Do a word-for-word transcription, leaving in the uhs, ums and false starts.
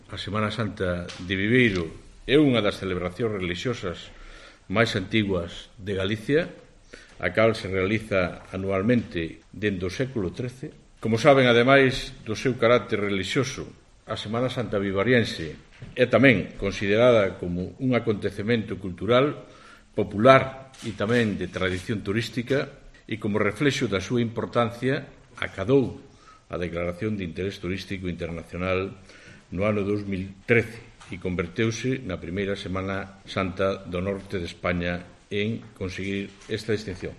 A Semana Santa de Viveiro é unha das celebracións religiosas máis antiguas de Galicia, a cal se realiza anualmente dende o século trece. Como saben, ademais do seu carácter religioso, a Semana Santa vivariense é tamén considerada como un acontecemento cultural, popular e tamén de tradición turística, e como reflexo da súa importancia acadou a Declaración de Interés Turístico Internacional no ano dos mil trece e converteuse na primeira Semana Santa do norte de España en conseguir esta distinción.